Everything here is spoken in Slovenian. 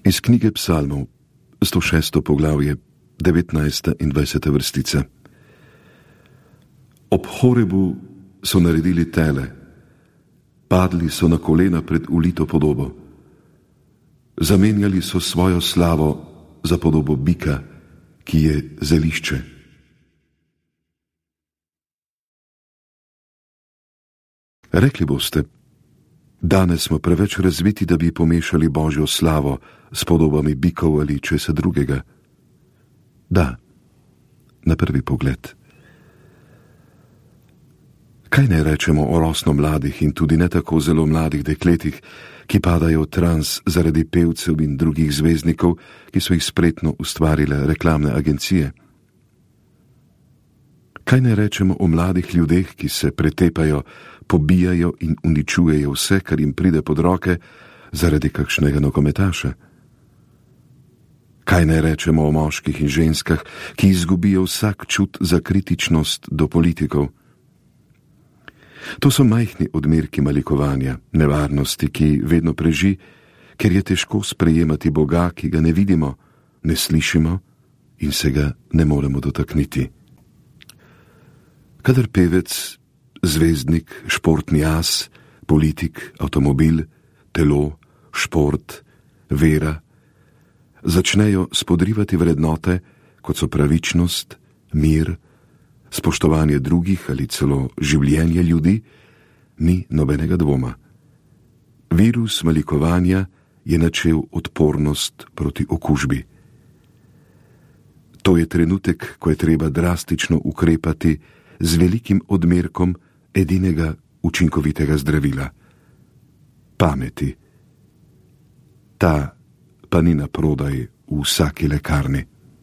Iz knjige Psalmov, 106. poglavje, 19. in 20. vrstica. Ob Horebu so naredili tele, padli so na kolena pred ulito podobo. Zamenjali so svojo slavo za podobo bika, ki je zelišče. Rekli boste, danes smo preveč razviti, da bi pomešali Božjo slavo s podobami bikov ali česa drugega. Da, na prvi pogled. Kaj naj rečemo o rosno mladih in tudi ne tako zelo mladih dekletih, ki padajo v trans zaradi pevcev in drugih zvezdnikov, ki so jih spretno ustvarile reklamne agencije? Kaj naj rečemo o mladih ljudeh, ki se pretepajo, pobijajo in uničujejo vse, kar jim pride pod roke, zaradi kakšnega nogometaša? Kaj naj rečemo o moških in ženskah, ki izgubijo vsak čut za kritičnost do politikov? To so majhni odmerki malikovanja, nevarnosti, ki vedno preži, ker je težko sprejemati Boga, ki ga ne vidimo, ne slišimo in se ga ne moremo dotakniti. Kadar pevec, zvezdnik, športni as, politik, avtomobil, telo, šport, vera začnejo spodrivati vrednote, kot so pravičnost, mir, spoštovanje drugih ali celo življenje ljudi, ni nobenega dvoma. Virus malikovanja je načel odpornost proti okužbi. To je trenutek, ko je treba drastično ukrepati z velikim odmerkom edinega učinkovitega zdravila – pameti. Ta pa ni naprodaj v vsaki lekarni.